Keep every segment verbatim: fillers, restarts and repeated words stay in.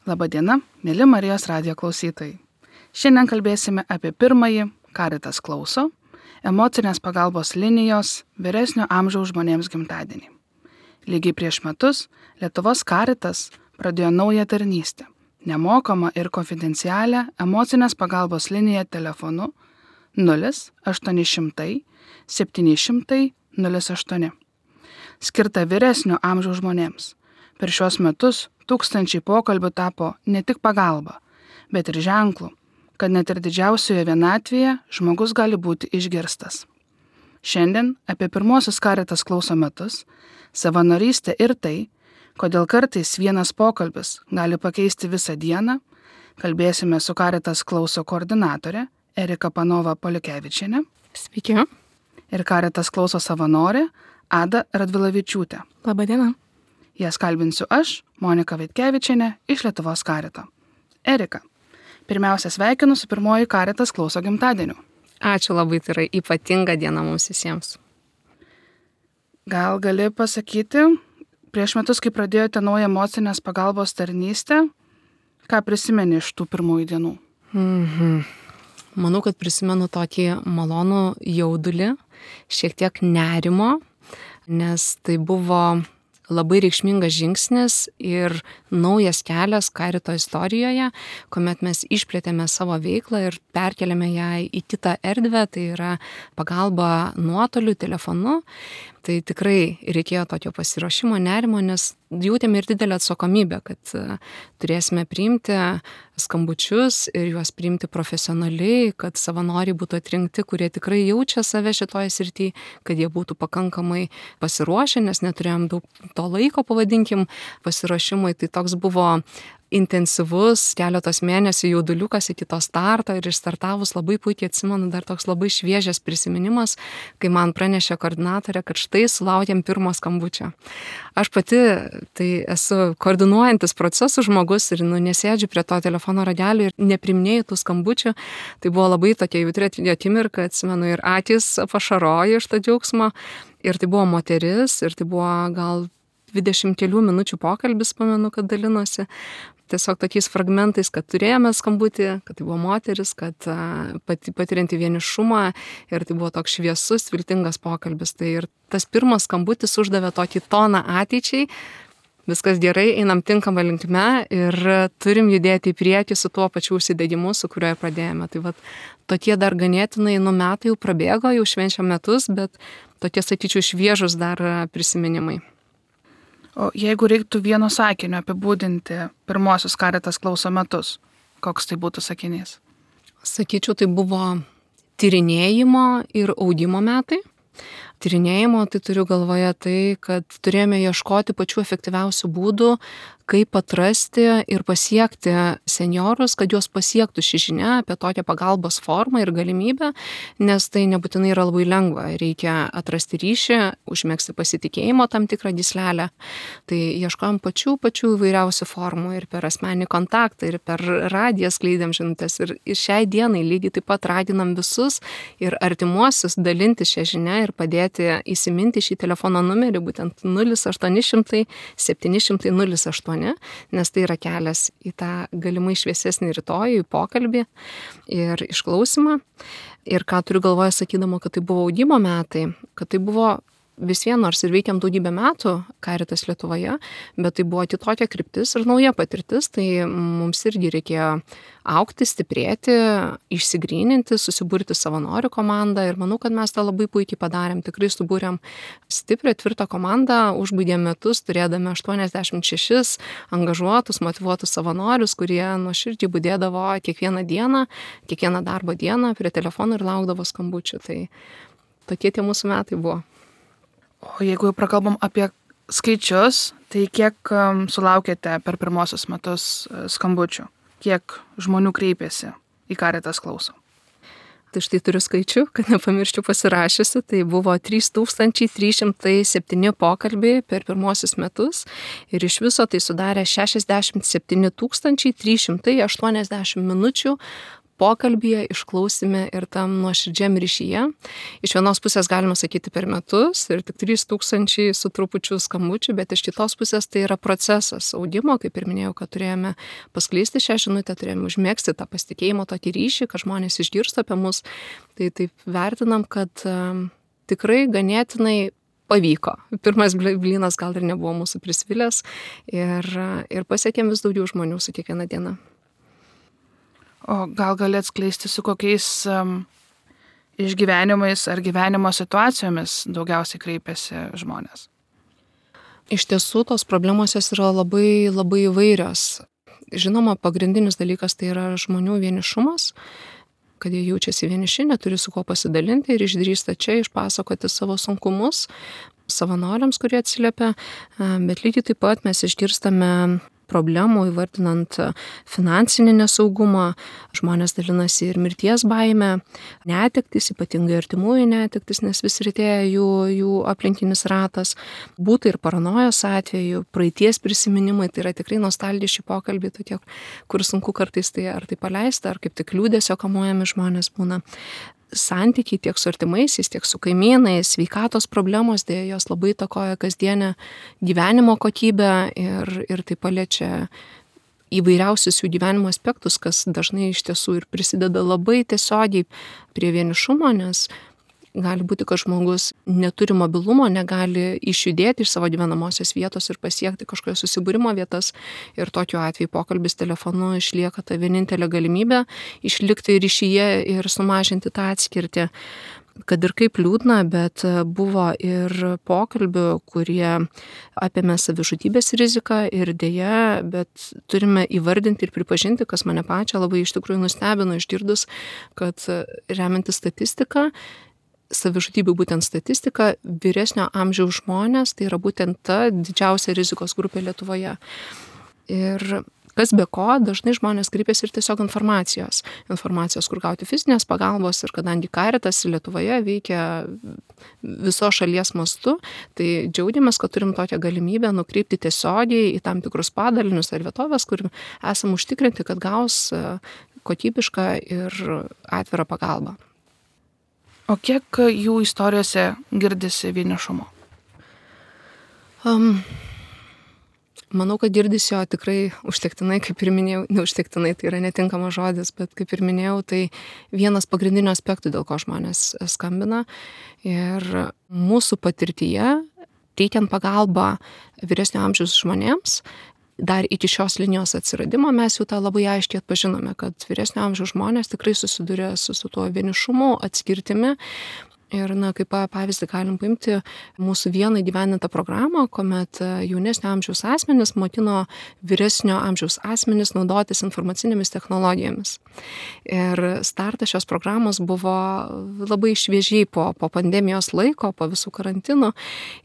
Labadiena, mėly Marijos radijo klausytojai. Šiandien kalbėsime apie pirmąjį Caritas klauso, emocinės pagalbos linijos vyresnio amžiaus žmonėms gimtadienį. Lygiai prieš metus Lietuvos Caritas pradėjo naują tarnystę, nemokamą ir konfidencialią emocinės pagalbos liniją telefonu nulis aštuoni šimtai septyni šimtai nulis aštuoni, skirta vyresnio amžiaus žmonėms. Per šios metus tūkstančiai pokalbių tapo ne tik pagalba, bet ir ženklu, kad net ir didžiausioje vienatvėje žmogus gali būti išgirstas. Šiandien apie pirmosius Caritas klauso metus, savanorystę ir tai, kodėl kartais vienas pokalbis gali pakeisti visą dieną, kalbėsime su Caritas klauso koordinatorė Erika Panova Polikevičienė. Sveiki. Ir Caritas klauso savanorė Ada Radvilavičiūtė. Labadiena. Jas kalbinsiu aš, Monika Vaitkevičienė, iš Lietuvos Carito. Erika, pirmiausia sveikinu su pirmoji Caritas klauso gimtadieniu. Ačiū labai, tai yra ypatinga diena mums visiems. Gal gali pasakyti, prieš metus, kai pradėjote naują emocinės pagalbos tarnystę, ką prisimeni iš tų pirmųjų dienų? Mhm. Manau, kad prisimenu tokį malonų jaudulį, šiek tiek nerimo, nes tai buvo labai reikšmingas žingsnis ir naujas kelias Carito istorijoje, kuomet mes išplėtėme savo veiklą ir perkeliame ją į kitą erdvę, tai yra pagalba nuotoliu, telefonu. Tai tikrai reikėjo tokio pasiruošimo, nerimo, nes jautėme ir didelę atsakomybę, kad turėsime priimti skambučius ir juos priimti profesionaliai, kad savanoriai būtų atrinkti, kurie tikrai jaučia save šitoje srityje, kad jie būtų pakankamai pasiruošę, nes neturėjom daug to laiko, pavadinkim, pasiruošimui. Tai toks buvo intensyvus keletos mėnesių jauduliukas iki to starto ir išstartavus labai puikiai atsimenu dar toks labai šviežias prisiminimas, kai man pranešė koordinatorė, kad štai sulaukėm pirmo skambučio. Aš pati tai esu koordinuojantis procesų žmogus ir nu, nesėdžiu prie to telefono ragelio ir nepriminėjau tų skambučių. Tai buvo labai tokia jautri akimirka, atsimenu, ir akys pašarojo iš to džiaugsmo. Ir tai buvo moteris ir tai buvo gal dvidešimt kelių minučių pokalbis, pamenu, kad dalinosi. Tiesiog tokiais fragmentais, kad turėjome skambutį, kad tai buvo moteris, kad pati, patirianti vienišumą ir tai buvo toks šviesus, viltingas pokalbis. Tai ir tas pirmas skambutis uždavė tokį toną ateičiai. Viskas gerai, einam tinkamą linkme ir turim judėti į priekį su tuo pačiu užsidegimu, su kuriuo pradėjome. Tai vat, tokie dar ganėtinai nu metai jau prabėgo, jau švenčiam metus, bet tokie, sakyčiau, šviežus dar prisiminimai. O jeigu reiktų vieno sakinio apibūdinti pirmosius Caritas klauso metus, koks tai būtų sakinys? Sakyčiau, tai buvo tyrinėjimo ir augimo metai. Tyrinėjimo, tai turiu galvoje tai, kad turėjome ieškoti pačių efektyviausių būdų, kaip atrasti ir pasiekti senjorus, kad juos pasiektų ši žinia apie tokią pagalbos formą ir galimybę, nes tai nebūtinai yra labai lengva. Reikia atrasti ryšį, užmegzti pasitikėjimo tam tikrą gyslelę. Tai ieškojom pačių, pačių įvairiausių formų ir per asmeninį kontaktą, ir per radiją skleidėm žinutes. Ir, ir šiai dienai lygiai taip pat raginam visus ir artimuosius dalinti šią žinią ir padėti įsiminti šį telefono numerį, būtent nulis aštuoni šimtai septyni šimtai nulis aštuoni. Nes tai yra kelias į tą galimai šviesesnį rytojų, į pokalbį ir išklausimą. Ir ką turiu galvoje sakydama, kad tai buvo augimo metai, kad tai buvo vis vien, nors ir veikiam daugybę metų Caritas Lietuvoje, bet tai buvo kitokia kryptis ir nauja patirtis, tai mums irgi reikėjo augti, stiprėti, išsigryninti, susiburti savanorių komandą ir manau, kad mes tą labai puikiai padarėm. Tikrai subūrėm stiprią, tvirtą komandą, užbaigėm metus, turėdami aštuoniasdešimt šešis angažuotus, motyvuotus savanorius, kurie nuoširdžiai budėdavo kiekvieną dieną, kiekvieną darbo dieną prie telefono ir laukdavo skambučių. Tai tokie tie mūsų metai buvo. O jeigu jau prakalbam apie skaičius, tai kiek um, sulaukėte per pirmosius metus uh, skambučių? Kiek žmonių kreipėsi į Caritas klauso? Tai štai turiu skaičių, kad nepamirščiau pasirašiusi, tai buvo trys tūkstančiai trys šimtai septyni pokalbiai per pirmosius metus ir iš viso tai sudarė šešiasdešimt septyni tūkstančiai trys šimtai aštuoniasdešimt minučių pokalbyje, išklausime ir tam nuoširdžiam ryšyje. Iš vienos pusės galima sakyti per metus ir tik trys tūkstančiai su trupučiu skambučių, bet iš kitos pusės tai yra procesas audimo, kaip ir minėjau, kad turėjome paskleisti šią žinutę, turėjome užmėgsti tą pasitikėjimo tokį ryšį, kad žmonės išgirsta apie mus. Tai taip vertinam, kad um, tikrai ganėtinai pavyko. Pirmas blynas gal ir nebuvo mūsų prisvilęs ir, ir pasiekėm vis daugiau žmonių su kiekviena diena. O gal gali atskleisti, su kokiais um, išgyvenimais ar gyvenimo situacijomis daugiausiai kreipiasi žmonės? Iš tiesų, tos problemos jos yra labai, labai įvairios. Žinoma, pagrindinis dalykas tai yra žmonių vienišumas, kad jie jaučiasi vieniši, neturi su kuo pasidalinti ir išdrįsta čia išpasakoti savo sunkumus savanoriams, kurie atsiliepia, bet lygiai taip pat mes išgirstame problemų įvardinant finansinį nesaugumą, žmonės dalinasi ir mirties baimę, netektis, ypatingai artimųjų netektis, nes vis rytėja jų, jų aplinkinis ratas, būtų ir paranojos atveju, praeities prisiminimai, tai yra tikrai nostalgiški pokalbiai tokie, kur sunku kartais tai ar tai paleisti, ar kaip tik liūdesio kamuojami žmonės būna. Santykiai tiek su artimaisiais, tiek su kaimynais, sveikatos problemos, dėja jos labai įtakoja kasdienę gyvenimo kokybę ir, ir tai paliečia įvairiausius jų gyvenimo aspektus, kas dažnai iš tiesų ir prisideda labai tiesiogiai prie vienišumo, nes gali būti, kad žmogus neturi mobilumo, negali išjudėti iš savo gyvenamosios vietos ir pasiekti kažkokios susibūrimo vietas. Ir tokiu atveju pokalbis telefonu išlieka ta vienintelė galimybė išlikti ryšyje ir sumažinti tą atskirtį. Kad ir kaip liūdna, bet buvo ir pokalbių, kurie apėmė savižudybės riziką ir dėja, bet turime įvardinti ir pripažinti, kas mane pačią labai iš tikrųjų nustebino išgirdus, kad remiantis statistiką, savižudybių būtent statistika, vyresnio amžiaus žmonės, tai yra būtent ta didžiausia rizikos grupė Lietuvoje. Ir kas be ko, dažnai žmonės kreipiasi ir tiesiog informacijos. Informacijos, kur gauti fizinės pagalbos ir kadangi Caritas Lietuvoje veikia viso šalies mastu, tai džiaugiamės, kad turim tokią galimybę nukreipti tiesiogiai į tam tikrus padalinius ar vietovės, kur esam užtikrinti, kad gaus kokybišką ir atvirą pagalbą. O kiek jų istorijose girdisi vienišumo? Um, manau, kad girdisi jo tikrai užtektinai, kaip ir minėjau, neužtektinai, tai yra netinkamas žodis, bet kaip ir minėjau, tai vienas pagrindinių aspektų, dėl ko žmonės skambina. Ir mūsų patirtyje, teikiant pagalbą vyresnio amžiaus žmonėms, dar iki šios linijos atsiradimo mes jau tą labai aiškiai atpažinome, kad vyresnio amžiaus žmonės tikrai susiduria su, su tuo vienišumu, atskirtimi. Ir, na, kaip pavyzdį galim paimti mūsų vieną įgyvendintą programą, kuomet jaunesnio amžiaus asmenys mokino vyresnio amžiaus asmenys naudotis informacinėmis technologijomis. Ir startas šios programos buvo labai šviežiai po, po pandemijos laiko, po visų karantinų.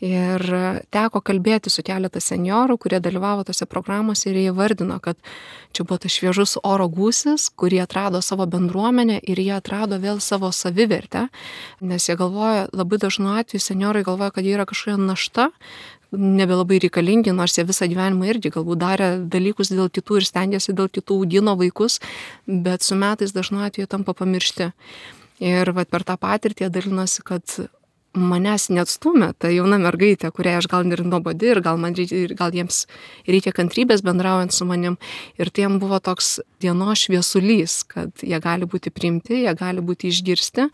Ir teko kalbėti su keletą seniorų, kurie dalyvavo tose programose ir jie vardino, kad čia buvo tas šviežus oro gūsis, kurie atrado savo bendruomenę ir jie atrado vėl savo savivertę, nes jie galvoja, labai dažnu atveju seniorai galvoja, kad jie yra kažkokia našta, nebelabai reikalingi, nors jie visą gyvenimą irgi galbūt darė dalykus dėl kitų ir stengiasi dėl kitų, augino vaikus, bet su metais dažnu atveju tampa pamiršti. Ir vat, per tą patirtį jie dalinosi, kad manęs neatstumė ta jauna mergaitė, kuriai aš gal ir nuobodi ir gal, man, ir gal jiems reikia kantrybės bendraujant su manim. Ir tai jiems buvo toks dienos šviesulys, kad jie gali būti priimti, jie gali būti išgirsti.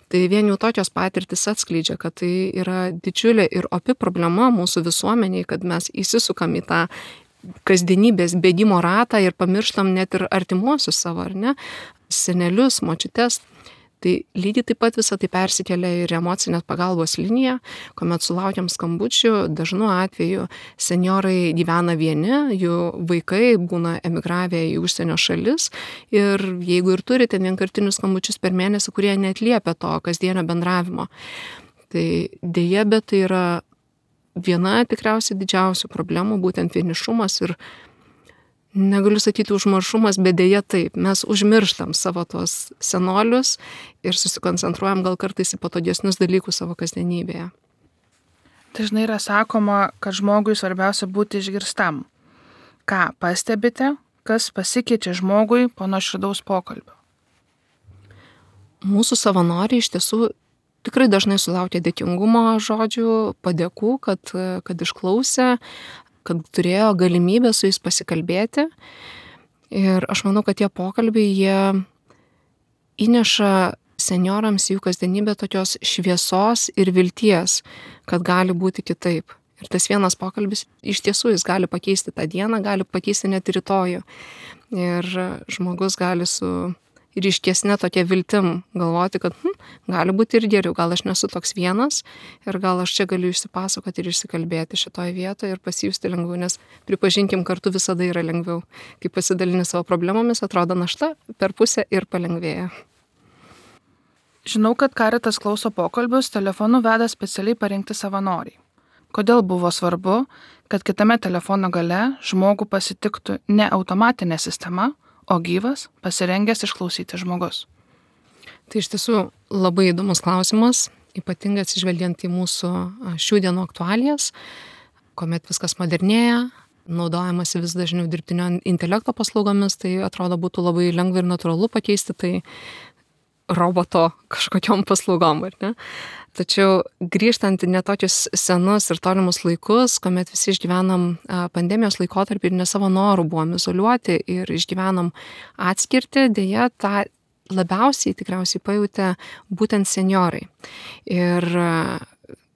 Tai vien jau tokios patirtis atskleidžia, kad tai yra didžiulė ir opi problema mūsų visuomeniai, kad mes įsisukam į tą kasdienybės bėgimo ratą ir pamirštam net ir artimuosius savo, ar ne, senelius, močiutes. Tai lygiai taip pat visą tai persikelia ir emocinės pagalbos liniją, kuomet sulaukiam skambučių, dažnu atveju seniorai gyvena vieni, jų vaikai būna emigravę į užsienio šalis ir jeigu ir turi ten vienkartinius skambučius per mėnesį, kurie neatliepia to kasdienio bendravimo. Tai dėja, bet tai yra viena tikriausiai didžiausių problemų, būtent vienišumas ir negaliu sakyti užmaršumas, bet dėja taip, mes užmirštam savo tos senolius ir susikoncentruojam gal kartais į patogesnius dalykus savo kasdienybėje. Dažnai yra sakoma, kad žmogui svarbiausia būti išgirstam. Ką pastebite, kas pasikeičia žmogui po nuoširdaus pokalbio? mūsų savanoriai iš tiesų tikrai dažnai sulaukia dėkingumo žodžių, padėkų, kad, kad išklausė, kad turėjo galimybę su jais pasikalbėti. Ir aš manau, kad tie pokalbiai, jie įneša senjorams į jų kasdienybę tokios šviesos ir vilties, kad gali būti kitaip. Ir tas vienas pokalbis iš tiesų jis gali pakeisti tą dieną, gali pakeisti net rytojų. Ir žmogus gali su ryškesne tokia viltim galvoti, kad hm, gali būti ir geriau, gal aš nesu toks vienas ir gal aš čia galiu išsipasakoti ir išsikalbėti šitoje vietoje ir pasijusti lengviau, nes pripažinkim, kartu visada yra lengviau. Kai pasidalini savo problemomis, atrodo našta per pusę ir palengvėja. Žinau, kad Caritas klauso pokalbius telefonu veda specialiai parinkti savanoriai. Kodėl buvo svarbu, kad kitame telefono gale žmogų pasitiktų ne automatinė sistema, o gyvas, pasirengęs išklausyti žmogus? Tai iš tiesų labai įdomus klausimas, ypatingai atsižvelgiant į mūsų šių dienų aktualijas, kuomet viskas modernėja, naudojamasi vis dažniau dirbtinio intelekto paslaugomis, tai atrodo būtų labai lengva ir natūralu pakeisti tai roboto kažkokiom paslaugom, ar ne? Tačiau grįžtant į netokius senus ir tolimus laikus, kuomet visi išgyvenam pandemijos laikotarpį ir ne savo norų buvom izoliuoti ir išgyvenom atskirti, dėja tą labiausiai tikriausiai pajutė būtent senjorai. Ir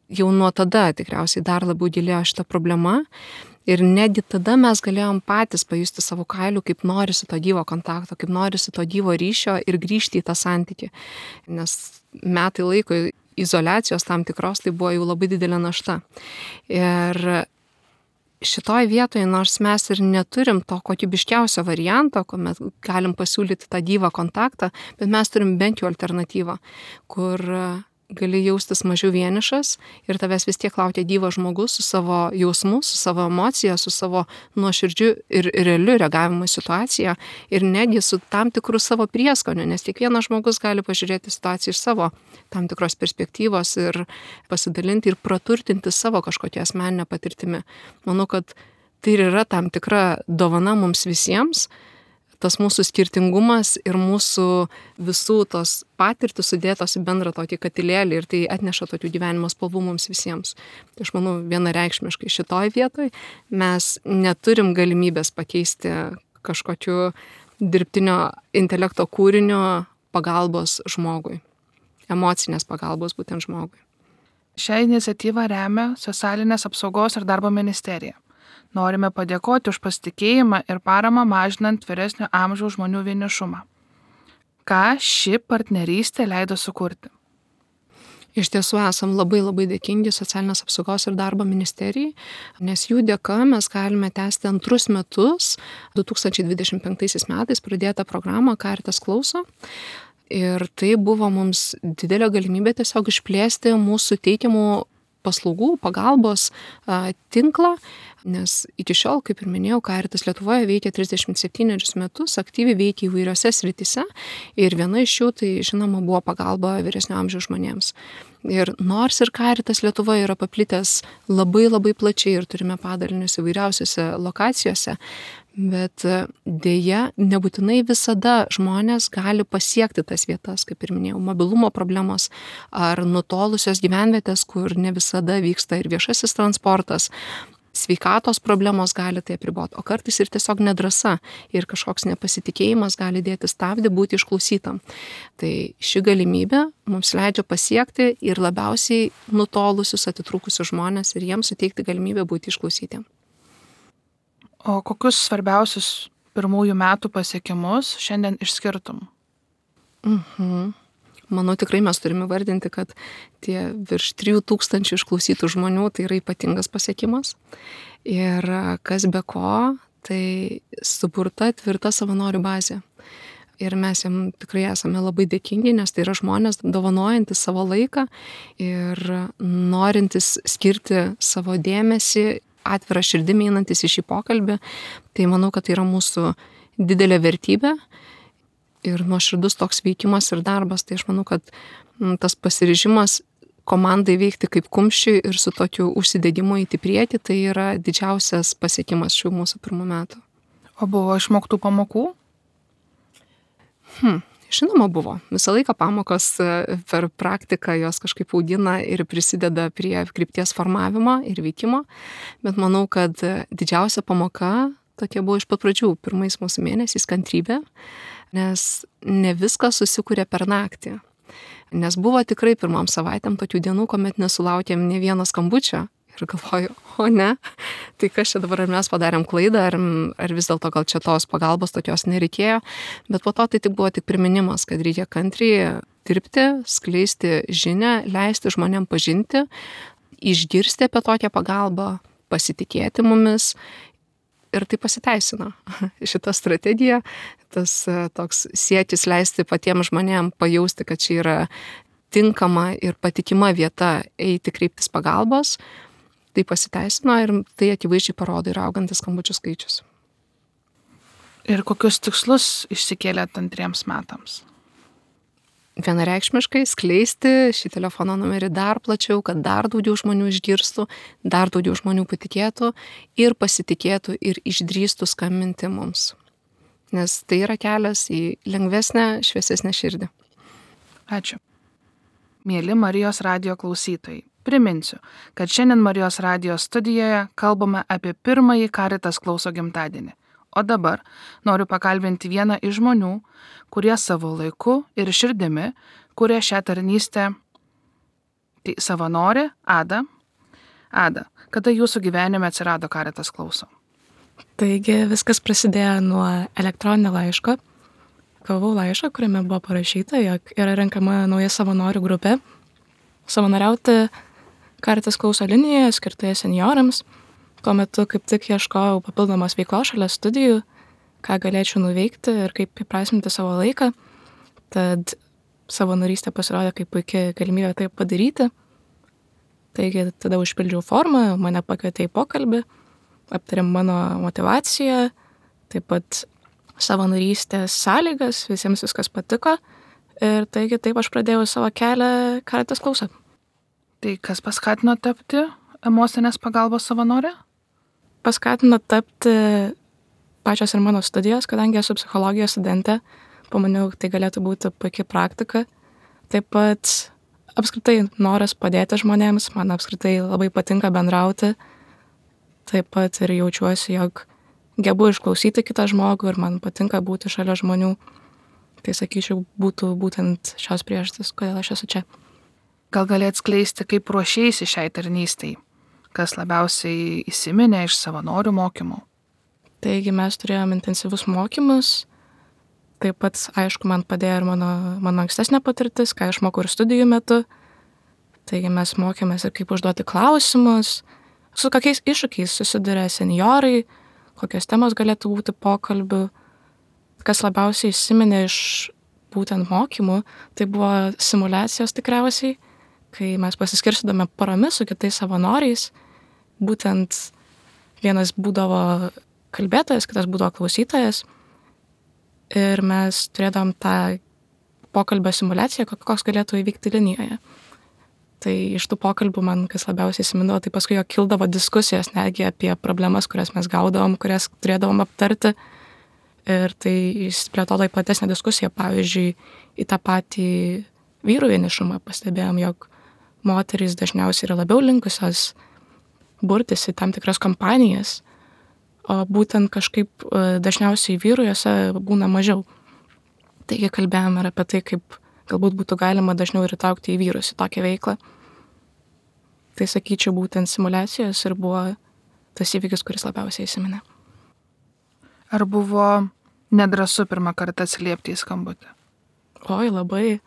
jau nuo tada tikriausiai dar labiau gilėjo šita problema. Ir netgi tada mes galėjom patys pajusti savo kailių, kaip norisi to gyvo kontakto, kaip norisi to gyvo ryšio ir grįžti į tą santykį. Nes metai laiko izoliacijos tam tikros, tai buvo jau labai didelė našta. Ir šitoj vietoje, nors mes ir neturim to kokybiškiausio varianto, kuomet galim pasiūlyti tą gyvą kontaktą, bet mes turim bent jau alternatyvą, kur gali jaustis mažiau vienišas ir tavęs vis tiek laukia gyvas žmogus su savo jausmu, su savo emocija, su savo nuoširdžiu ir realiu reagavimu į situaciją ir netgi su tam tikru savo prieskoniu, nes kiekvienas žmogus gali pažiūrėti situaciją iš savo tam tikros perspektyvos ir pasidalinti ir praturtinti savo kažkokią asmeninę patirtimį. Manau, kad tai ir yra tam tikra dovana mums visiems, tas mūsų skirtingumas ir mūsų visų tos patirtys sudėtos į bendrą tokį katilėlį ir tai atneša tokių gyvenimo spalvų mums visiems. Tai aš manau, vienareikšmiškai šitoj vietoj mes neturim galimybės pakeisti kažkokiu dirbtinio intelekto kūrinio pagalbos žmogui, emocinės pagalbos būtent žmogui. Šią iniciatyvą remia Socialinės apsaugos ir darbo ministerija. Norime padėkoti už pasitikėjimą ir paramą mažinant vyresnio amžiaus žmonių vienišumą. Ką ši partnerystė leido sukurti? Iš tiesų esam labai labai dėkingi Socialinės apsaugos ir darbo ministerijai, nes jų dėka mes galime tęsti antrus metus, du tūkstančiai dvidešimt penktaisiais metais pradėtą programą Caritas klauso. Ir tai buvo mums didelė galimybė tiesiog išplėsti mūsų teikiamų paslaugų, pagalbos a, tinklą, nes iki šiol, kaip ir minėjau, Caritas Lietuvoje veikia trisdešimt septynerius metus, aktyviai veikia įvairiose srityse ir viena iš jų tai, žinoma, buvo pagalba vyresnio amžiaus žmonėms. Ir nors ir Caritas Lietuvoje yra paplitęs labai labai plačiai ir turime padalinius įvairiausiose lokacijose, bet dėja nebūtinai visada žmonės gali pasiekti tas vietas, kaip ir minėjau, mobilumo problemos ar nutolusios gyvenvietės, kur ne visada vyksta ir viešasis transportas. Sveikatos problemos gali tai apriboti, o kartais ir tiesiog nedrąsa ir kažkoks nepasitikėjimas gali dėti stabdį būti išklausytam. Tai ši galimybė mums leidžia pasiekti ir labiausiai nutolusius, atitrūkusius žmonės ir jiems suteikti galimybę būti išklausytiem. O kokius svarbiausius pirmųjų metų pasiekimus šiandien išskirtum? Mhm. Manau, tikrai mes turime vardinti, kad tie virš trijų tūkstančių išklausytų žmonių tai yra ypatingas pasiekimas. Ir kas be ko, tai suburta tvirta savanorių bazė. Ir mes jam tikrai esame labai dėkingi, nes tai yra žmonės dovanojantis savo laiką ir norintis skirti savo dėmesį, atvirą širdimi einantis į šį pokalbį. Tai manau, kad tai yra mūsų didelė vertybė. Ir nuoširdus toks veikimas ir darbas, tai aš manau, kad tas pasiryžimas komandai veikti kaip kumščiui ir su tokiu užsidegimu įti priekį, tai yra didžiausias pasiekimas šių mūsų pirmų metų. O buvo išmoktų pamokų? Hmm. Žinoma, buvo. Visą laiką pamokos per praktiką jos kažkaip augina ir prisideda prie krypties formavimo ir veikimo, bet manau, kad didžiausia pamoka tokia buvo iš pat pradžių, pirmais mūsų mėnesiais kantrybė, nes ne viskas susikuria per naktį. Nes buvo tikrai pirmam savaitėm tokių dienų, kuomet nesulaukėm ne vieno skambučio. Ir galvoju, o ne, tai kas čia dabar, ar mes padarėm klaidą, ar, ar vis dėlto gal čia tos pagalbos tokios nereikėjo. Bet po to tai tik buvo tik priminimas, kad reikia kantriai dirbti, skleisti žinią, leisti žmonėm pažinti, išgirsti apie tokią pagalbą, pasitikėti mumis. Ir tai pasiteisino. Šita strategija, tas toks siekis leisti patiems žmonėm pajausti, kad čia yra tinkama ir patikima vieta eiti kreiptis pagalbos, tai pasiteisino ir tai akivaizdžiai parodo ir augantis skambučių skaičius. Ir kokius tikslus išsikėlėt antriems metams? Vienareikšmiškai skleisti šį telefono numerį dar plačiau, kad dar daugiau žmonių išgirstų, dar daugiau žmonių patikėtų ir pasitikėtų ir išdrįstų skambinti mums. Nes tai yra kelias į lengvesnę, šviesesnę širdį. Ačiū. Mieli Marijos radijo klausytojai, priminsiu, kad šiandien Marijos radijo studijoje kalbame apie pirmąjį Caritas klauso gimtadienį. O dabar noriu pakalbinti vieną iš žmonių, kurie savo laiku ir širdimi kuria šią tarnystę. Tai savanorė Ada. Ada, kada jūsų gyvenime atsirado Caritas klauso? Taigi viskas prasidėjo nuo elektroninio laiško. Gavau laišką, kuriame buvo parašyta, jog yra renkama nauja savanorių grupė. Savanoriauti Caritas klauso linijoje skirtoje seniorams. Tuo metu kaip tik ieškojau papildomos veiklos šalia studijų, ką galėčiau nuveikti ir kaip įprasminti savo laiką. Tad savanorystė pasirodė kaip puikia galimybė tai padaryti. Taigi tada užpildžiau formą, mane pakvietė į pokalbį, aptarėm mano motivaciją, taip pat savanorystės sąlygas, visiems viskas patiko ir taigi taip aš pradėjau savo kelią Caritas klauso. Tai kas paskatino tapti emocinės pagalbos savanorė? Paskatino tapti pačios ir mano studijos, kadangi esu psichologijos studentė, pamaniau, tai galėtų būti puikia praktika. Taip pat apskritai noras padėti žmonėms, man apskritai labai patinka bendrauti. Taip pat ir jaučiuosi, jog gebu išklausyti kitą žmogų ir man patinka būti šalia žmonių. Tai sakyčiau, būtų būtent šios priežastys, kodėl aš esu čia. Gal gali atskleisti, kaip ruošėsi šiai tarnystei? Kas labiausiai įsiminė iš savanorių mokymų? Taigi mes turėjom intensyvus mokymus. Taip pat, aišku, man padėjo ir mano, mano ankstesnė patirtis, ką aš mokau ir studijų metu. Taigi mes mokėmės ir kaip užduoti klausimus, su kokiais iššūkiais susiduria senjorai, kokios temos galėtų būti pokalbių. Kas labiausiai įsiminė iš būtent mokymų, tai buvo simulacijos tikriausiai, kai mes pasiskirstydame paromis su kitais savanoriais. Būtent vienas būdavo kalbėtojas, kitas būdavo klausytojas. Ir mes turėdavom tą pokalbio simulaciją, koks galėtų įvykti linijoje. Tai iš tų pokalbių man kas labiausiai įsimindavo, tai paskui jo kildavo diskusijos netgi apie problemas, kurias mes gaudavom, kurias turėdavom aptarti. Ir tai išsiplėtojo į platesnę diskusiją, pavyzdžiui, į tą patį vyrų vienišumą pastebėjom, jog moterys dažniausiai yra labiau linkusios burtis į tam tikras kompanijas, o būtent kažkaip dažniausiai vyrų jose būna mažiau. Taigi kalbėjom ir apie tai, kaip galbūt būtų galima dažniau ir įtraukti į vyrus į tokią veiklą. Tai sakyčiau, būtent simulacijos ir buvo tas įvykis, kuris labiausiai įsiminė. Ar buvo nedrąsu pirmą kartą atsiliepti į skambutį? Oi, labai.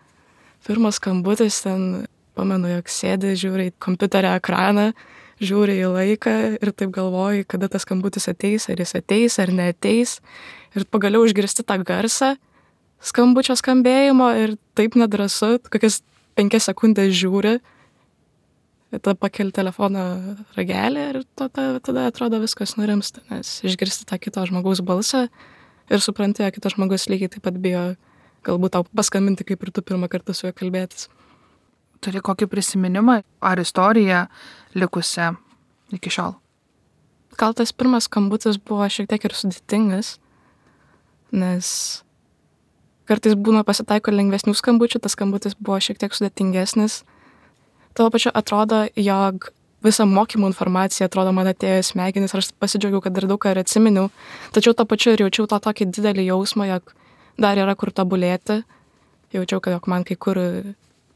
Pirmas skambutis ten, pamenu, jog sėdi, žiūri į kompiuterio ekraną, žiūri į laiką ir taip galvoji, kada tas skambutis ateis, ar jis ateis, ar neateis. Ir pagaliau išgirsti tą garsą skambučio skambėjimo ir taip nedrąsu, kokias penkias sekundės žiūri, tada pakeli telefono ragelį ir tada, tada atrodo viskas nurimsta, nes išgirsti tą kito žmogaus balsą ir supranti, kad kitas žmogus lygiai taip pat bijo galbūt tau paskambinti, kaip ir tu pirmą kartą su juo kalbėtis. Turi kokį prisiminimą ar istoriją likusią iki šiol? Gal tas pirmas skambutis buvo šiek tiek ir sudėtingas, nes kartais būna pasitaiko lengvesnių skambučių, tas skambutis buvo šiek tiek sudėtingesnis. Tuo pačiu atrodo, jog visa mokymų informacija atrodo man atėjo į smegenis ir aš pasidžiaugiau, kad dar daug ką ir atsiminiau. Tačiau tuo pačiu ir jaučiau tą tokį didelį jausmą, jog dar yra kur tobulėti. Jaučiau, kad jog man kai kur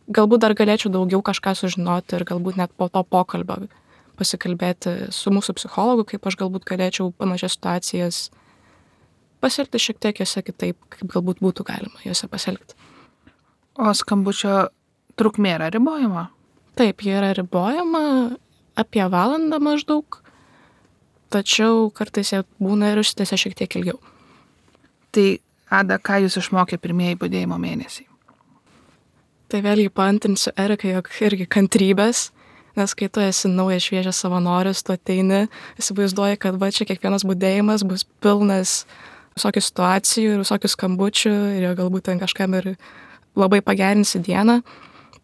galbūt dar galėčiau daugiau kažką sužinoti ir galbūt net po to pokalbio pasikalbėti su mūsų psichologu, kaip aš galbūt galėčiau panašias situacijas pasielgti šiek tiek jose kitaip, kaip galbūt būtų galima jose pasielgti. O skambučio trukmė yra ribojama? Taip, jie yra ribojama apie valandą maždaug, tačiau kartais jie būna ir užsitęsia šiek tiek ilgiau. Tai, Ada, ką jūs išmokė pirmieji budėjimo mėnesiai? Tai vėlgi paantrinsiu Erikai, jog irgi kantrybės, nes kai tu esi naujas šviežias savanoris, tu ateini, įsivaizduoji, kad va čia kiekvienas budėjimas bus pilnas visokių situacijų ir visokių skambučių ir jo galbūt ten kažkam ir labai pagerinsi dieną.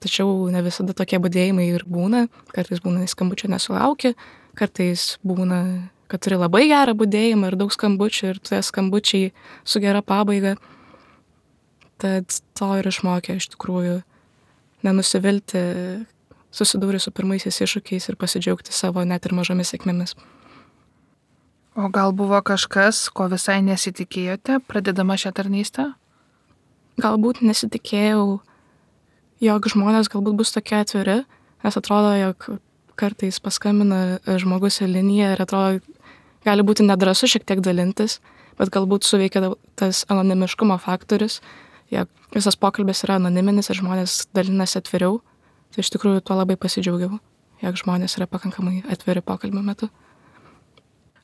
Tačiau ne visada tokie budėjimai ir būna. Kartais būna skambučio nesulauki, kartais būna, kad turi labai gerą budėjimą ir daug skambučių ir tie skambučiai su gera pabaiga. Tad to ir išmokė iš tikrųjų nenusivilti, susidūrė su pirmaisiais iššūkiais ir pasidžiaugti savo net ir mažomis sėkmėmis. O gal buvo kažkas, ko visai nesitikėjote, pradedama šią tarnystę? Galbūt nesitikėjau, jog žmonės galbūt bus tokie atviri, nes atrodo, jog kartais paskambina žmogus į liniją ir atrodo, gali būti nedrąsu šiek tiek dalintis, bet galbūt suveikia tas anonimiškumo faktorius, jog visas pokalbis yra anoniminis ir žmonės dalinasi atviriau. Tai iš tikrųjų tuo labai pasidžiaugiau, jog žmonės yra pakankamai atviri pokalbio metu.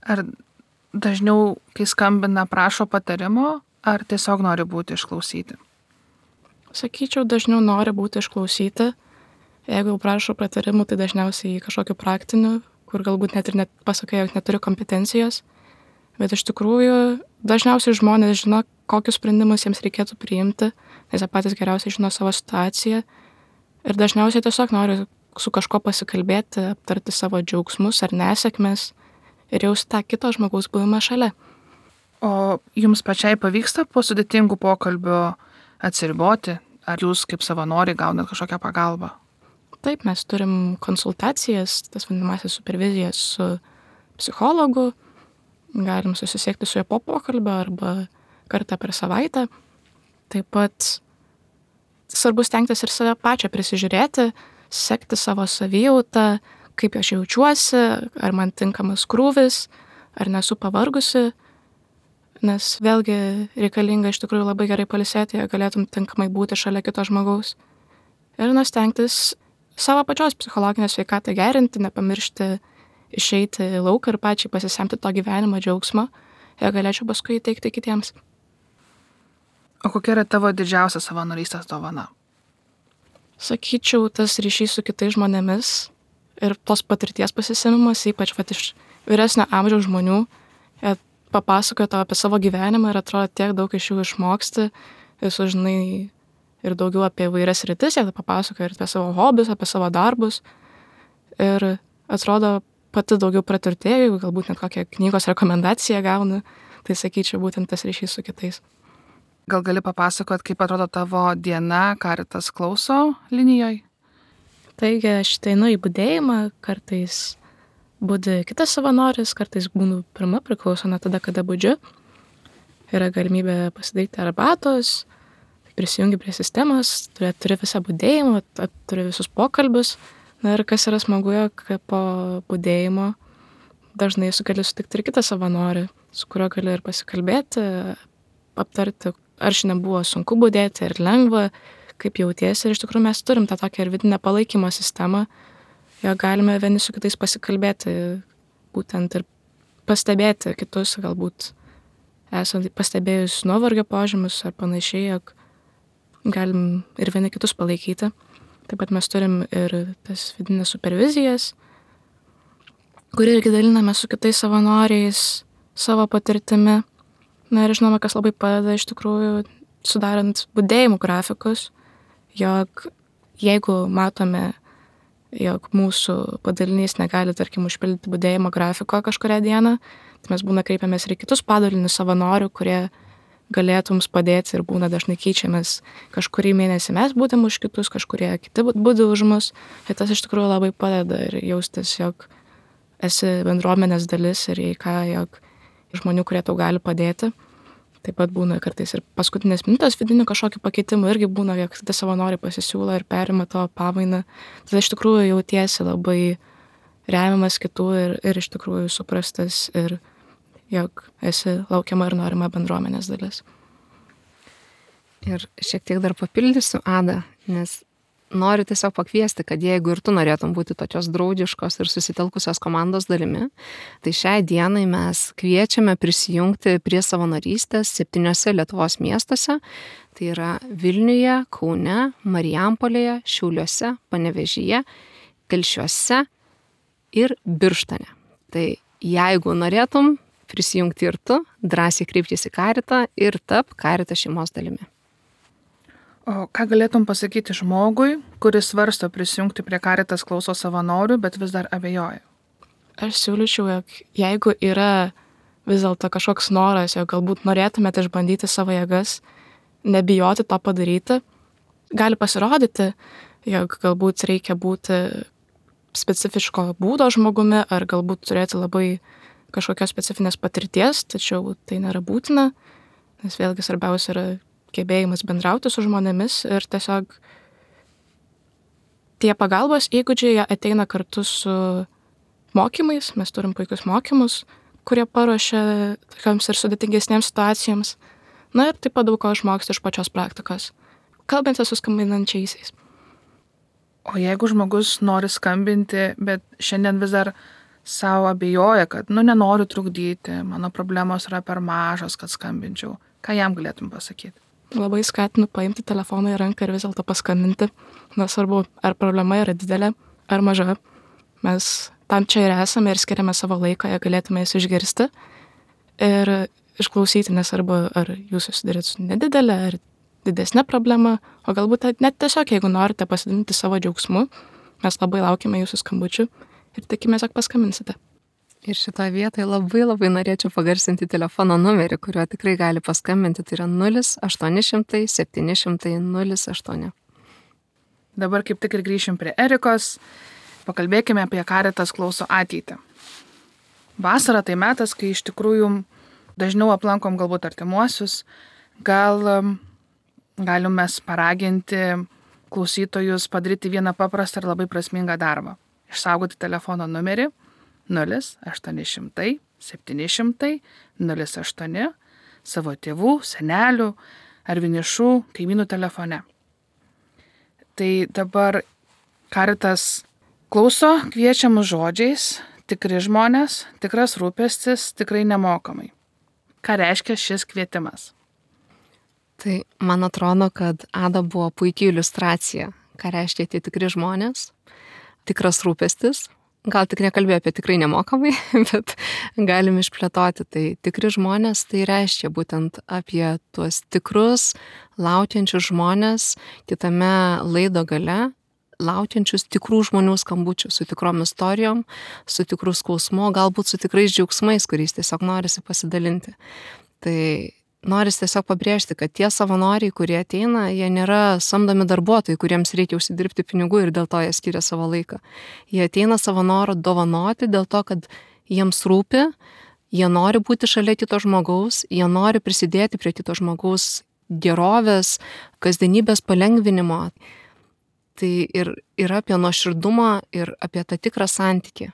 Ar dažniau, kai skambina, prašo patarimo, ar tiesiog nori būti išklausyti? Sakyčiau, dažniau nori būti išklausyti. Jeigu jau prašo patarimų, tai dažniausiai kažkokiu praktiniu, kur galbūt net ir net pasakai, jog neturi kompetencijos. Bet iš tikrųjų, dažniausiai žmonės žino, kokius sprendimus jiems reikėtų priimti, nes jie patys geriausiai žino savo situaciją. Ir dažniausiai tiesiog nori su kažko pasikalbėti, aptarti savo džiaugsmus ar nesėkmes ir jausti tą kito žmogaus buvimą šalia. O jums pačiai pavyksta po sudėtingų pokalbių atsiriboti? Ar jūs kaip savanoriai gaunat kažkokią pagalbą? Taip, mes turim konsultacijas, tas vadinamasis supervizijas su psichologu. Galim susisiekti su juo po pokalbio arba kartą per savaitę. Taip pat svarbu stengtis ir save pačią prisižiūrėti, sekti savo savijautą, kaip aš jaučiuosi, ar man tinkamas krūvis, ar nesu pavargusi, nes vėlgi reikalinga iš tikrųjų labai gerai pailsėti, jei galėtum tinkamai būti šalia kito žmogaus. Ir nustengtis savo pačios psichologinę sveikatą gerinti, nepamiršti išeiti į lauką ir pačiai pasisemti to gyvenimo džiaugsmo, jei galėčiau paskui įteikti kitiems. O kokia yra tavo didžiausia savanorystės dovana? Sakyčiau, tas ryšys su kitais žmonėmis ir tos patirties pasisemimas, ypač vat, iš vyresnio amžiaus žmonių. Jie papasakoja tau apie savo gyvenimą ir atrodo tiek daug iš jų išmoksti ir sužinai ir daugiau apie vairias rytis, jie papasakoja ir apie savo hobius, apie savo darbus. Ir atrodo pati daugiau praturtėjau, galbūt net kokią knygos rekomendaciją gaunu, tai sakyčiau būtent tas ryšys su kitais. Gal gali papasakot, kaip atrodo tavo diena Caritas klauso linijoj? Taigi aš einu į budėjimą, kartais budi kitas savanoris, kartais būnu pirma, priklauso nuo tada, kada budžiu. Yra galimybė pasidaryti arbatos, prisijungi prie sistemos, turi, turi visą budėjimą, turi visus pokalbius. Na ir kas yra smagu, jog po budėjimo dažnai su gali sutikti ir kitą savanorį, su kuriuo gali ir pasikalbėti, aptarti, ar šiandien buvo sunku budėti, ar lengva, kaip jautiesi. Ir iš tikrųjų mes turim tą tokią ir vidinę palaikymo sistemą, jo galime vieni su kitais pasikalbėti, būtent ir pastebėti kitus, galbūt esant pastebėjus nuovargio požymius ar panašiai, jog galim ir vieni kitus palaikyti. Taip pat mes turim ir tas vidinės supervizijas, kur irgi daliname su kitais savanoriais savo patirtimi. Na ir žinoma, kas labai padeda iš tikrųjų sudarant budėjimų grafikus, jog jeigu matome, jog mūsų padalinys negali, tarkim, užpildyti budėjimo grafiko kažkurią dieną, tai mes būna kreipiamės ir kitus padalinius savanorių, kurie galėtų mums padėti ir būna dažnai keičiamės kažkurį mėnesį mes būdam už kitus, kažkurie kiti būdų už mus. Ir tas iš tikrųjų labai padeda ir jaustis, jog esi bendruomenės dalis ir jei ką, jog žmonių, kurie tau gali padėti. Taip pat būna kartais ir paskutinės minutės vidinių kažkokį pakeitimą irgi būna, jog tada savanoriai pasisiūlo ir perima tavo pamainą. Tada iš tikrųjų jautiesi labai remiamas kitų ir, ir iš tikrųjų suprastas ir jog esi laukiama ir norima bendruomenės dalis. Ir šiek tiek dar papildysiu Adą, nes noriu tiesiog pakviesti, kad jeigu ir tu norėtum būti tokios draugiškos ir susitelkusios komandos dalimi, tai šiai dienai mes kviečiame prisijungti prie savanorystės septyniose Lietuvos miestuose, tai yra Vilniuje, Kaune, Marijampolėje, Šiauliuose, Panevėžyje, Telšiuose ir Birštone. Tai jeigu norėtum prisijungti ir tu, drąsiai kreiptis į Karitą ir tap Karito šeimos dalimi. O ką galėtum pasakyti žmogui, kuris svarsto prisijungti prie Karitas klauso savanorių, bet vis dar abejoja? Aš siūlyčiau, jog jeigu yra vis dėlto kažkoks noras, jog galbūt norėtumėte išbandyti savo jėgas, nebijoti to padaryti, gali pasirodyti, jog galbūt reikia būti specifiško būdo žmogumi ar galbūt turėti labai kažkokios specifinės patirties, tačiau tai nėra būtina, nes vėlgi svarbiausia yra gebėjimas bendrauti su žmonėmis ir tiesiog tie pagalbos įgūdžiai jie ateina kartu su mokymais, mes turim puikius mokymus, kurie paruošia tokiams ir sudėtingesniems situacijoms, na ir taip pat daug ko išmoksti iš pačios praktikos, kalbant su skambinančiaisiais. O jeigu žmogus nori skambinti, bet šiandien vis dar savo abejoja, kad, nu, nenoriu trukdyti, mano problemos yra per mažos, kad skambinčiau. Ką jam galėtum pasakyti? Labai skatinu paimti telefoną į ranką ir vis dėlto paskambinti. Nesvarbu, ar problema yra didelė, ar maža. Mes tam čia ir esame ir skiriame savo laiką, jei galėtume jas išgirsti ir išklausyti, nesvarbu, ar jūs susidarėt su nedidelė, ar didesnė problema, o galbūt net tiesiog, jeigu norite pasidalinti savo džiaugsmu, mes labai laukime jūsų skambučių ir tikimės, jog paskambinsite. Ir šitoje vietoje labai labai norėčiau pagarsinti telefono numerį, kuriuo tikrai gali paskambinti, tai yra nulis aštuoni šimtai septyni šimtai nulis aštuoni. Dabar kaip tik ir grįšim prie Erikos, pakalbėkime apie Karitas klauso ateitį. Vasara tai metas, kai iš tikrųjų dažniau aplankom galbūt artimuosius, gal galim mes paraginti klausytojus padaryti vieną paprastą ir labai prasmingą darbą. Išsaugoti telefono numerį nulis aštuoni šimtai septyni šimtai nulis aštuoni savo tėvų, senelių ar vienišų kaimynų telefone. Tai dabar Karitas klauso kviečiamus žodžiais, tikri žmonės, tikras rūpestis, tikrai nemokamai. Ką reiškia šis kvietimas? Tai man atrodo, kad Ada buvo puikiai iliustracija, ką reiškia tie tikri žmonės, tikras rūpestis. Gal tik nekalbėjau apie tikrai nemokamai, bet galim išplėtoti. Tai tikri žmonės, tai reiškia būtent apie tuos tikrus, laukiančius žmonės, kitame laido gale, laukiančius tikrų žmonių skambučių, su tikrom istorijom, su tikrų skausmu, galbūt su tikrais džiaugsmais, kuriais tiesiog norisi pasidalinti. Tai norisi tiesiog pabrėžti, kad tie savanoriai, kurie ateina, jie nėra samdomi darbuotojai, kuriems reikia užsidirbti pinigų ir dėl to jie skiria savo laiką. Jie ateina savo norą dovanoti dėl to, kad jiems rūpi, jie nori būti šalia kito žmogaus, jie nori prisidėti prie kito žmogaus gerovės, kasdienybės palengvinimo. Tai ir yra apie nuoširdumą ir apie tą tikrą santykį.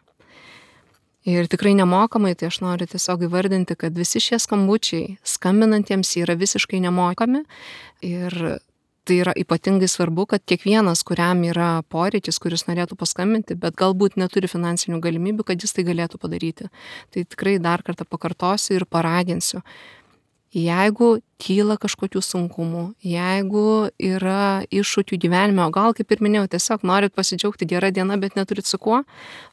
Ir tikrai nemokamai, tai aš noriu tiesiog įvardinti, kad visi šie skambučiai skambinantiems yra visiškai nemokami ir tai yra ypatingai svarbu, kad kiekvienas, kuriam yra poreikis, kuris norėtų paskambinti, bet galbūt neturi finansinių galimybių, kad jis tai galėtų padaryti. Tai tikrai dar kartą pakartosiu ir paraginsiu. Jeigu kyla kažkokių sunkumų, jeigu yra iššūkių gyvenime, o gal, kaip ir minėjau, tiesiog norit pasidžiaugti gerą dieną, bet neturit su kuo,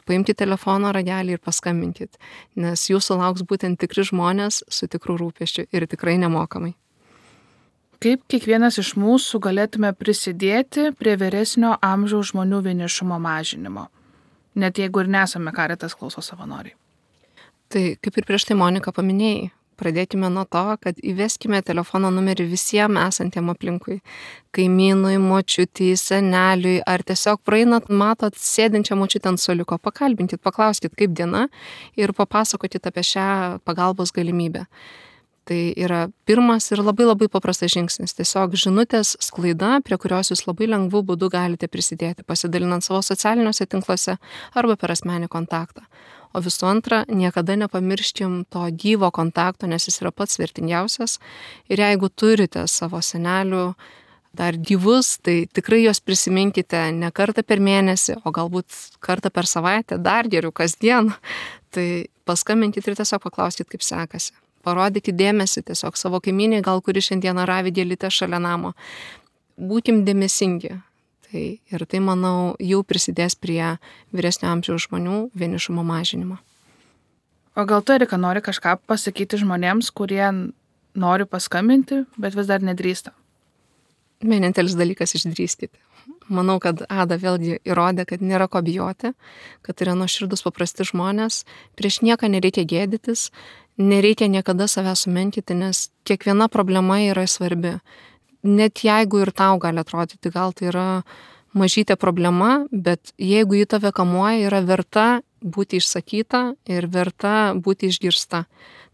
paimkite telefono ragelį ir paskambinkit, nes jūsų lauks būtent tikri žmonės su tikrų rūpesčiu ir tikrai nemokamai. Kaip kiekvienas iš mūsų galėtume prisidėti prie vyresnio amžiaus žmonių vienišumo mažinimo, net jeigu ir nesame Karitas klauso savanoriai? Tai kaip ir prieš tai Monika paminėjai, pradėkime nuo to, kad įveskime telefono numerį visiems esantiem aplinkui. Kaimynui, močiutei, seneliui, ar tiesiog praeinat, matot sėdinčią močiutę ant suoliuko, pakalbinkit, paklauskit, kaip diena ir papasakokit apie šią pagalbos galimybę. Tai yra pirmas ir labai labai paprastas žingsnis. Tiesiog žinutės sklaida, prie kurios jūs labai lengvų būdų galite prisidėti, pasidalinant savo socialiniuose tinkluose arba per asmenį kontaktą. O visų antra, niekada nepamirškim to gyvo kontakto, nes jis yra pats vertingiausias. Ir jeigu turite savo senelių dar gyvus, tai tikrai juos prisiminkite ne kartą per mėnesį, o galbūt kartą per savaitę, dar geriau kasdien. Tai paskambinkit ir tiesiog paklauskit, kaip sekasi. Parodykit dėmesį tiesiog savo kaimynei, gal kuri šiandieną ravi gėlytę šalia namo. Būkim dėmesingi. Tai, ir tai, manau, jau prisidės prie vyresnio amžiaus žmonių vienišumo mažinimo. O gal tu, Erika, nori kažką pasakyti žmonėms, kurie nori paskambinti, bet vis dar nedrįsta? Vienintelis dalykas išdrįskite. Manau, kad Ada vėlgi įrodė, kad nėra ko bijoti, kad yra nuoširdus paprasti žmonės, prieš nieką nereikia gėdytis, nereikia niekada savęs sumenkyti, nes kiekviena problema yra svarbi. Net jeigu ir tau gali atrodyti, gal tai yra mažytė problema, bet jeigu į tave kamuoja, yra verta būti išsakyta ir verta būti išgirsta.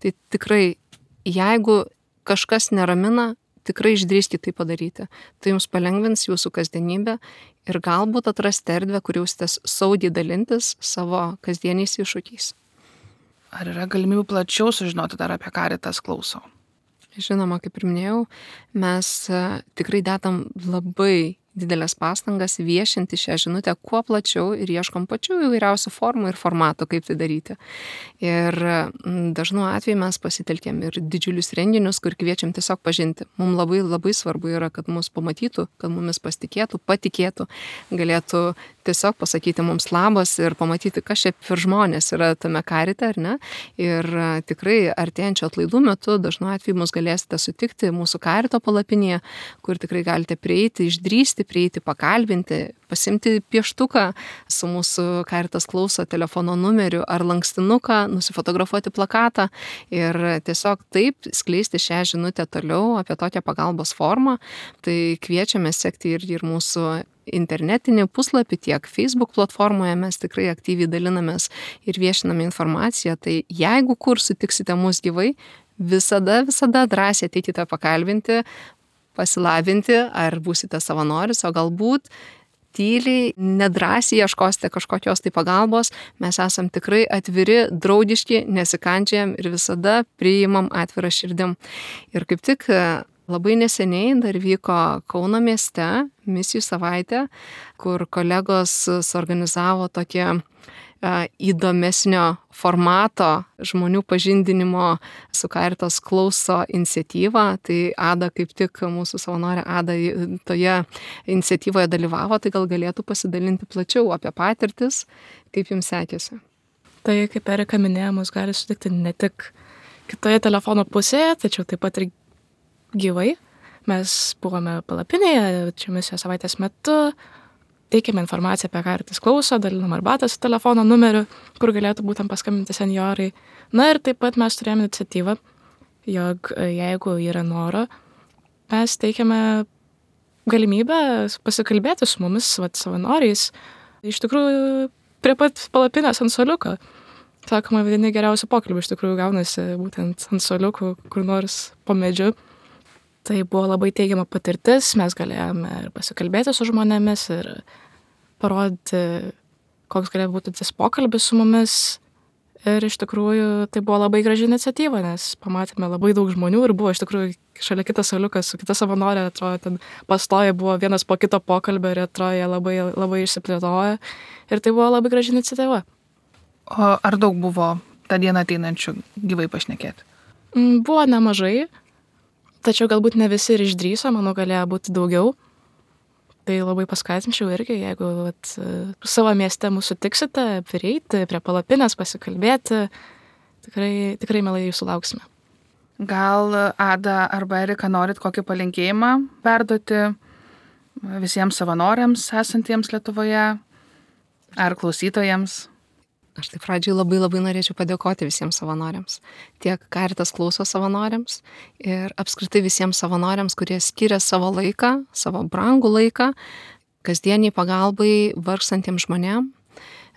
Tai tikrai, jeigu kažkas neramina, tikrai išdrįskit tai padaryti. Tai jums palengvins jūsų kasdienybę ir galbūt atrasti erdvę, kur jausitės saugiai dalintis savo kasdieniais iššūkiais. Ar yra galimybių plačiau sužinoti dar apie Caritas Klauso? Žinoma, kaip ir minėjau, mes tikrai dedam labai didelės pastangas viešinti šią žinutę kuo plačiau ir ieškom pačių įvairiausių formų ir formatų, kaip tai daryti. Ir dažnu atveju mes pasitelkėm ir didžiulius renginius, kur kviečiam tiesiog pažinti. Mums labai labai svarbu yra, kad mus pamatytų, kad mumis pasitikėtų, patikėtų, galėtų tiesiog pasakyti mums labas ir pamatyti, kas čia per žmonės yra tame karite, ar ne. Ir tikrai artėjančio atlaidų metu dažnu atveju mus galėsite sutikti mūsų karito palapinėje, kur tikrai galite prieiti, išdrįsti, prieiti, pakalbinti, pasimti pieštuką su mūsų Caritas Klauso telefono numeriu ar lankstinuką, nusifotografuoti plakatą ir tiesiog taip skleisti šią žinutę toliau apie tokią pagalbos formą. Tai kviečiame sekti ir, ir mūsų internetinį puslapį, tiek Facebook platformoje mes tikrai aktyviai dalinamės ir viešiname informaciją. Tai jeigu kur sutiksite mus gyvai, visada, visada drąsiai ateikite pakalbinti, pasilabinti, ar būsite savanoris, o galbūt tyliai, nedrąsiai ieškosite kažkokios tai pagalbos. Mes esam tikrai atviri, draugiški, nesikandžiam ir visada priimam atvirą širdim. Ir kaip tik labai neseniai dar vyko Kauno mieste misijų savaitė, kur kolegos suorganizavo tokią įdomesnio formato žmonių pažindinimo su Caritas Klauso iniciatyva. Tai Ada, kaip tik mūsų savanorė Ada toje iniciatyvoje dalyvavo, tai gal galėtų pasidalinti plačiau apie patirtis, kaip jums sekėsi. Tai, kaip Erika minėjo, mus gali sutikti ne tik kitoje telefono pusėje, tačiau taip pat ir gyvai. Mes buvome palapinėje, čia misijos savaitės metu, teikėme informaciją apie Caritas Klauso, dalinam arbatą su telefono numeriu, kur galėtų būtent paskambinti senjorai. Na ir taip pat mes turėjome iniciatyvą, jog jeigu yra noro, mes teikiame galimybę pasikalbėti su mumis, vat, savanoriais, iš tikrųjų prie pat palapinės ant suoliuko. Sakoma, vieni geriausių pokalbių iš tikrųjų gaunasi būtent ant suoliukų, kur nors po medžiu. Tai buvo labai teigiama patirtis, mes galėjome ir pasikalbėti su žmonėmis ir parodyti, koks galėjo būti tas pokalbis su mumis. Ir iš tikrųjų tai buvo labai graži iniciatyva, nes pamatėme labai daug žmonių ir buvo iš tikrųjų šalia kitas suoliukas su kita savanorė, atrodo, ten pastoja buvo vienas po kito pokalbio ir atrodo, jie labai, labai išsiplėtojo. Ir tai buvo labai graži iniciatyva. O ar daug buvo tą dieną ateinančių gyvai pašnekėti? Buvo nemažai. Tačiau galbūt ne visi ir išdrįso, manau, galėjo būti daugiau. Tai labai paskatinčiau irgi, jeigu vat, savo mieste mūsų tiksite, prieiti prie palapinės, pasikalbėti, tikrai, tikrai mielai jūsų lauksime. Gal Ada arba Erika norit kokį palinkėjimą perduoti visiems savanoriams esantiems Lietuvoje ar klausytojams? Aš tai pradžiai labai labai norėčiau padėkoti visiems savanoriams. Tiek Caritas klauso savanoriams ir apskritai visiems savanoriams, kurie skiria savo laiką, savo brangų laiką, kasdieniai pagalbai vargstantiems žmonėm,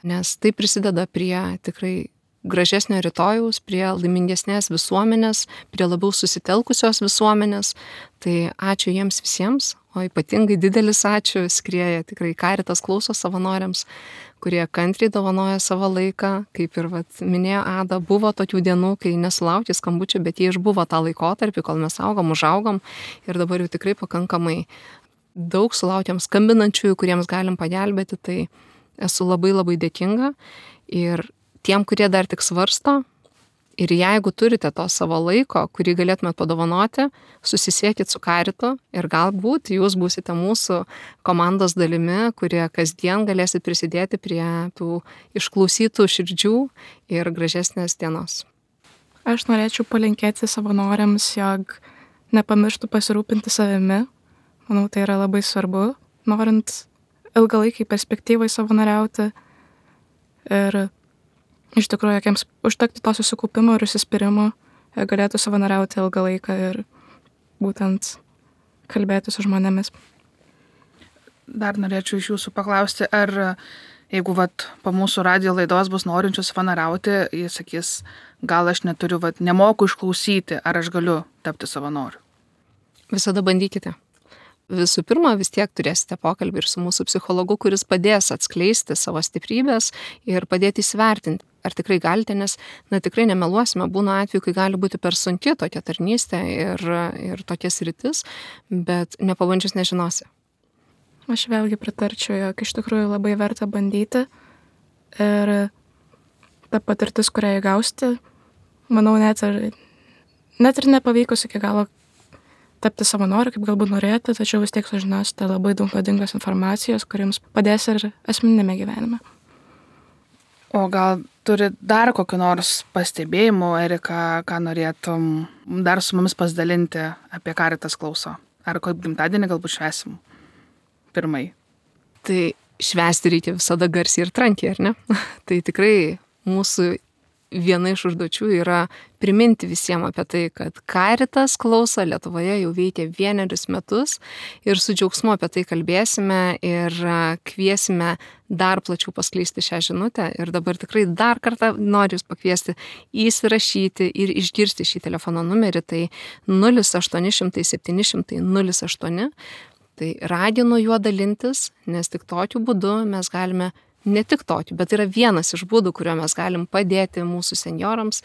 nes tai prisideda prie tikrai gražesnio rytojaus, prie laimingesnės visuomenės, prie labiau susitelkusios visuomenės. Tai ačiū jiems visiems, o ypatingai didelis ačiū skrieja tikrai Caritas klauso savanoriams, kurie kantriai dovanoja savo laiką, kaip ir vat, minėjo Ada, buvo tokių dienų, kai nesulaukė skambučių, bet jie išbuvo tą laikotarpį, kol mes augom, užaugom ir dabar jau tikrai pakankamai daug sulaukėm skambinančiųjų, kuriems galim pagelbėti, tai esu labai labai dėkinga ir tiem, kurie dar tik svarsto ir jeigu turite to savo laiko, kurį galėtumėt padovanoti, susisiekit su Caritu ir galbūt jūs būsite mūsų komandos dalimi, kurie kasdien galėsit prisidėti prie tų išklausytų širdžių ir gražesnės dienos. Aš norėčiau palinkėti savanoriams, jog nepamirštų pasirūpinti savimi. Manau, tai yra labai svarbu, norint ilgalaikiai perspektyvai savanoriauti ir iš tikrųjų, jiems užtekti to susikaupimo ir užsispyrimo, jie galėtų savanoriauti ilgą laiką ir būtent kalbėti su žmonėmis. Dar norėčiau iš jūsų paklausti, ar jeigu vat, po mūsų radijo laidos bus norinčių savanoriauti, jis sakys, gal aš neturiu, vat, nemoku išklausyti, ar aš galiu tapti savanoriu? Visada bandykite. Visų pirma, vis tiek turėsite pokalbį ir su mūsų psichologu, kuris padės atskleisti savo stiprybės ir padėti įsivertinti, ar tikrai galite, nes, na, tikrai nemeluosime, būna atveju, kai gali būti per sunki tokia tarnystė ir, ir tokia sritis, bet nepabandžius nežinosi. Aš vėlgi pritarčiau, jog iš tikrųjų labai verta bandyti ir ta patirtis, kurią įgausti, manau, net ir, net ir nepavykus iki galo tapti savanoriu, kaip galbūt norėjote, tačiau vis tiek sužinosite labai daug naudingos informacijos, kuriems padės ir asmeninėme gyvenime. O gal turi dar kokiu nors pastebėjimu, Erika, ką norėtum dar su mumis pasidalinti apie Caritas klauso? Ar kaip gimtadienį galbūt švęsim pirmai? Tai švęsti reikia visada garsiai ir trankiai, ar ne? Tai tikrai mūsų viena iš užduočių yra priminti visiems apie tai, kad Caritas klauso Lietuvoje jau veikia vienerius metus ir su džiaugsmu apie tai kalbėsime ir kviesime dar plačiau paskleisti šią žinutę. Ir dabar tikrai dar kartą noriu jūs pakviesti įsirašyti ir išgirsti šį telefono numerį, tai nulis aštuoni šimtai septyni šimtai nulis aštuoni. Tai raginu juo dalintis, nes tik tokiu būdu mes galime ne tik tokį, bet yra vienas iš būdų, kuriuo mes galim padėti mūsų senjorams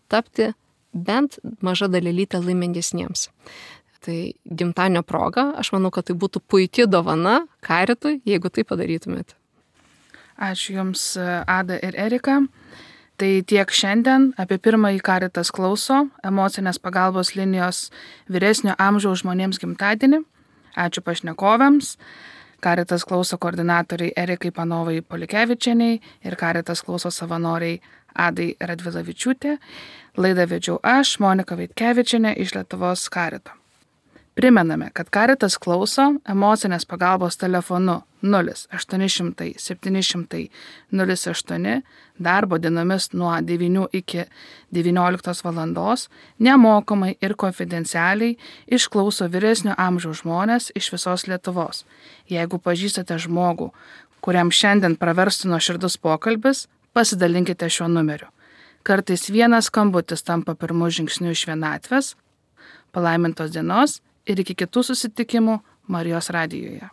tapti bent maža dalelytė laimingesniems. Tai gimtadienio proga, aš manau, kad tai būtų puikia dovana Caritui, jeigu tai padarytumėt. Ačiū Jums, Ada ir Erika. Tai tiek šiandien apie pirmąjį Caritas klauso emocinės pagalbos linijos vyresnio amžiaus žmonėms gimtadienį. Ačiū pašnekovėms. Caritas klauso koordinatoriai Erikai Panovai Polikevičieniai ir Caritas klauso savanoriai Adai Radvilavičiūtė. Laidą vedžiau aš, Monika Vaitkevičienė iš Lietuvos Carito. Primename, kad Caritas klauso emocinės pagalbos telefonu nulis aštuoni šimtai septyni šimtai nulis aštuoni darbo dienomis nuo devynių iki devynioliktos valandos nemokamai ir konfidencialiai išklauso vyresnio amžiaus žmonės iš visos Lietuvos. Jeigu pažįstate žmogų, kuriam šiandien praverstų nuoširdus pokalbis, pasidalinkite šiuo numeriu. Kartais vienas skambutis tampa pirmu žingsniu iš vienatvės. Palaimintos dienos ir iki kitų susitikimų Marijos radijoje.